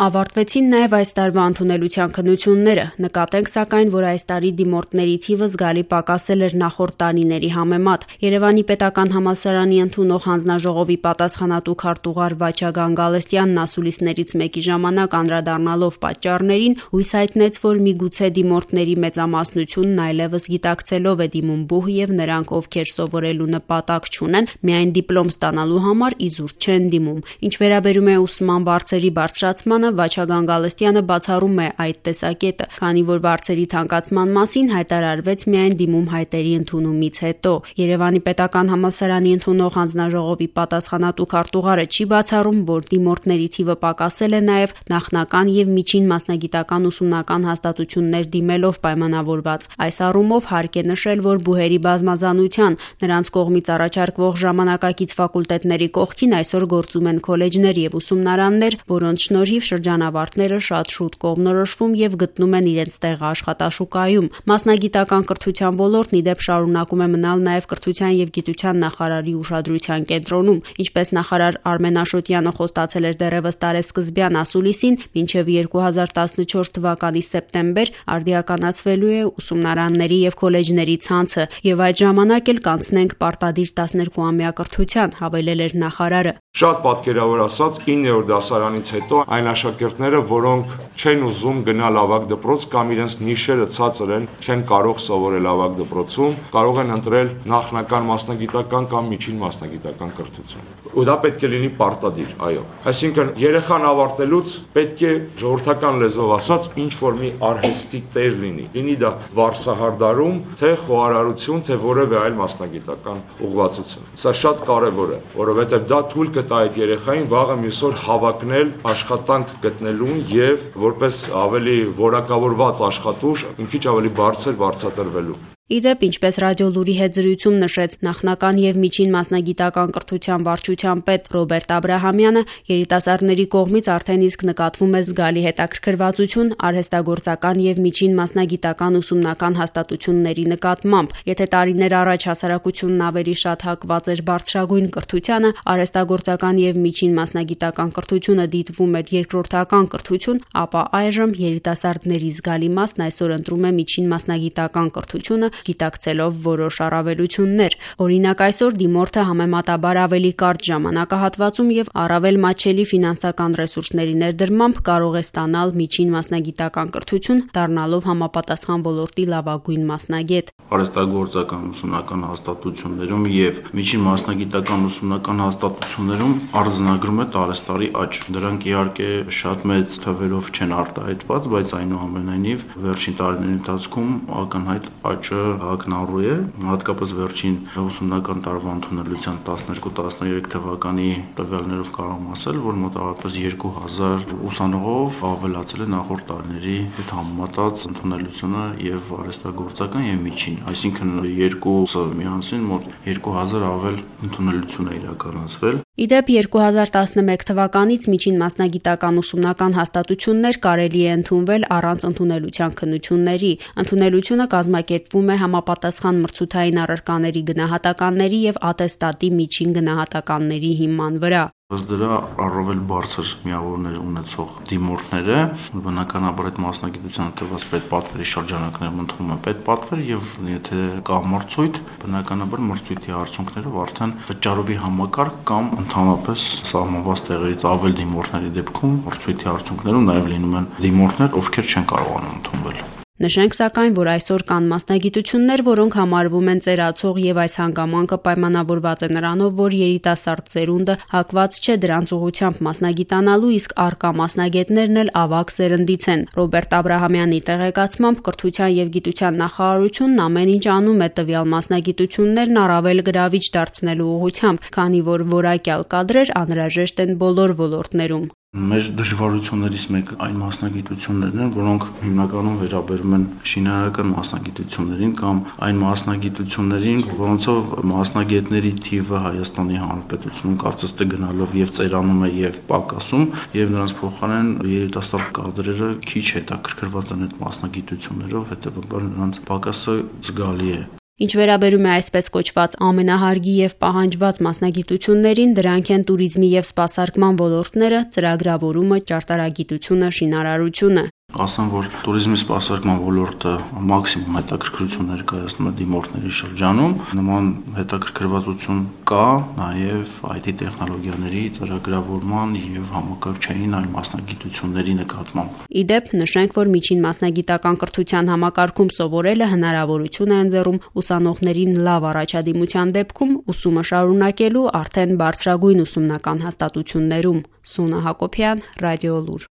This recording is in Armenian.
Ավարտվեցին նաև այս տարվա ընդունելության քննությունները, նկատենք սակայն, որ այս տարի դիմորդների թիվը զգալի պակասել էր նախորդ տարիների համեմատ։ Երևանի պետական համալսարանի ընդունող հանձնաժողովի պատասխանատու քարտուղար Վաչագան Գալստյանն ասուլիսներից մեկի ժամանակ անդրադառնալով պատճառներին, հույս հայտնեց, որ միգուցե դիմորդների մեծամասնությունն այլևս գիտակցելով է դիմում բուհ եւ նրանք, ովքեր սովորելու նպատակ չունեն, միայն դիպլոմ ստանալու համար իզուր չեն դիմում։ Ինչ վերաբերում է ուսման վարձերի բարձրացմանը, Վաչագան Գալստյանը բացառում է այդ տեսակետը, քանի որ վարձերի թանկացման մասին հայտարարվեց միայն դիմում հայտերի ընդունումից հետո։ Երևանի պետական համալսարանի ընդունող հանձնաժողովի պատասխանատու քարտուղարը չի բացառում, որ դիմորդների թիվը պակասել է նաև նախնական եւ միջին մասնագիտական ուսումնական հաստատություններ դիմելով պայմանավորված։ Այս առումով հարկ է նշել, որ բուհերի բազմազանության, նրանց կողմից առաջարկվող ժամանակակից ֆակուլտետների կողքին այսօր գործում են քոլեջներ եւ ուսումնարաններ, որոնց շնորհիվ շրջանավարտները շատ շուտ կողմնորոշվում եւ գտնում են իրենց տեղը աշխատաշուկայում։ Մասնագիտական կրթության ոլորտն ի դեպ շարունակում է մնալ նաեւ կրթության եւ գիտության նախարարի ուշադրության կենտրոնում, ինչպես նախարար Արմեն Աշոտյանը խոստացել էր դեռևս տարեսկզբյան ասուլիսին, մինչեւ 2014 թվականի սեպտեմբեր արդիականացվելու է ուսումնարանների եւ քոլեջների ցանցը եւ այդ ժամանակ էլ կանցնենք պարտադիր 12-ամյա կրթության, հավելել էր նախարարը։ Շատ պատկերավոր ասած 9-րդ դասարանից հետո այն աշակերտները, որոնք չեն ուզում գնալ ավագ դպրոց կամ իրենց նիշերը ցածր են, չեն կարող սովորել ավագ դպրոցում, կարող են ընտրել նախնական մասնագիտական կամ միջին մասնագիտական կրթություն։ Ու դա պետք է լինի պարտադիր, այո։ Այսինքն երեխան ավարտելուց պետք է ժողովրդական լեզվով ասած ինչ որ մի արհեստի տեր լինի դա վարսահարդարում, թե խոհարարություն, թե որևէ այլ մասնագիտական ուղղվածություն։ Սա շատ կարևոր է, որովհետև դա թույլ կտա այդ երեխային վաղը մյուս օր հավակնել աշխատանք գտնելուն եւ որպես ավելի որակավորված աշխատուժ մի քիչ ավելի բարձր վարձատրվելու։ Իդեպ, ինչպես ռադիոլուրի հետ զրույցում նշեց նախնական եւ միջին մասնագիտական կրթության վարչության պետ Ռոբերտ Աբրահամյանը, երիտասարդների կողմից արդեն իսկ նկատվում է զգալի հետաքրքրվածություն արհեստագործական եւ միջին մասնագիտական ուսումնական հաստատությունների նկատմամբ։ Եթե տարիներ առաջ հասարակությունն ավելի շատ հակված էր բարձրագույն կրթությանը, արհեստագործական եւ միջին մասնագիտական կրթությունը դիտվում էր երկրորդական կրթություն, ապա այժմ երիտասարդների զգալի մասն այսօր ընտրում է միջին մասնագիտական կրթությունը, գիտակցելով որոշ առավելություններ։ Օրինակ այսօր դիմորդը համեմատաբար ավելի կարճ ժամանակահատվածում եւ առավել մատչելի ֆինանսական ռեսուրսների ներդրմամբ կարող է ստանալ միջին մասնագիտական կրթություն, դառնալով համապատասխան ոլորտի լավագույն մասնագետ։ Արհեստագործական ուսումնական հաստատություններում եւ միջին մասնագիտական ուսումնական հաստատություններում արձանագրում է տարեստարի աճ։ Դրանք իհարկե շատ մեծ թվերով չեն արտահայտված, բայց այնուամենայնիվ վերջին տարիների ընթացքում ակնհայտ աճը ակնառու է, հատկապես վերջին ուսումնական տարվա ընդունելության 12-13 թվականի տվյալներով կարող եմ ասել, որ մոտավորապես 2000 ուսանողով ավելացել է նախորդ տարիների հետ համեմատած ընդունելությունը եւ արհեստագործական եւ միջին, այսինքն երկուսը միասին մոտ 2000 ավել ընդունելություն է իրականացվել։ Իդեպ 2011 թվականից միջին մասնագիտական ուսումնական հաստատություններ կարելի է ընդունվել առանց ընդունելության քննությունների։ Ընդունելությունը կազմակերպվում է համապատասխան մրցութային առարկաների գնահատականների եւ ատեստատի միջին գնահատականների հիման վրա։ Ըստ դրա առավել բարձր միավորներ ունեցող դիմորդները բնականաբար այդ մասնագիտության տված պետպատվերի շրջանակներում ընդունում են պետպատվեր եւ եթե կա մրցույթ, բնականաբար մրցույթի արդյունքներով արդեն վճարովի համակարգ կամ ընդհանրապես սահմանված տեղերից ավել դիմորդների դեպքում մրցույթի արդյունքներում նաեւ լինում են դիմորդներ, ովքեր չեն կարողանում ընդունվել։ Նշենք սակայն, որ այսօր կան մասնագիտություններ, որոնք համարվում են ծերացող եւ այս հանգամանքը պայմանավորված է նրանով, որ երիտասարդ սերունդը հակված չէ դրանց ուղղությամբ մասնագիտանալու, իսկ առկա մասնագետներն էլ ավագ սերնդից են։ Ռոբերտ Աբրահամյանի տեղեկացմամբ կրթության եւ գիտության նախարարությունն ամեն ինչ անում է տվյալ մասնագիտություններն առավել գրավիչ դարձնելու ուղղությամբ, քանի որ որակյալ կադրեր անհրաժեշտ են բոլոր ոլորտներում։ Մեր դժվարություններից մեկը այն մասնագիտություններն են, որոնք հիմնականում վերաբերում են շինարարական մասնագիտություններին կամ այն մասնագիտություններին, որոնցով մասնագետների թիվը Հայաստանի Հանրապետությունում կարծես թե գնալով եւ ծերանում է եւ պակասում, եւ նրանց փոխարեն երիտասարդ կադրերը քիչ հետաքրքրված են այդ մասնագիտություններով, հետեւաբար նրանց պակասը զգալի է։ Ինչ վերաբերում է այսպես կոչված ամենահարգի եւ պահանջված մասնագիտություններին, դրանք են туриզմի եւ սպասարկման ոլորտները, ծրագրավորումը, ճարտարագիտությունը, շինարարությունը։ Ասեմ, որ туриզմի սպասարկման ոլորտը մաքսիմում հետաքրքրություն ներկայացնում է դիմորդների շրջանում։ Նման հետաքրքրվածություն կա նաև IT տեխնոլոգիաների ծրագրավորման եւ համակարգչային այլ մասնագիտությունների նկատմամբ։ Ի դեպ, նշենք, որ միջին մասնագիտական կրթության համակարգում սովորելը հնարավորություն է ընձեռում ուսանողներին լավ առաջադիմության դեպքում ուսումը շարունակելու արդեն բարձրագույն ուսումնական հաստատություններում։ Սունա Հակոբյան, Ռադիոլուր։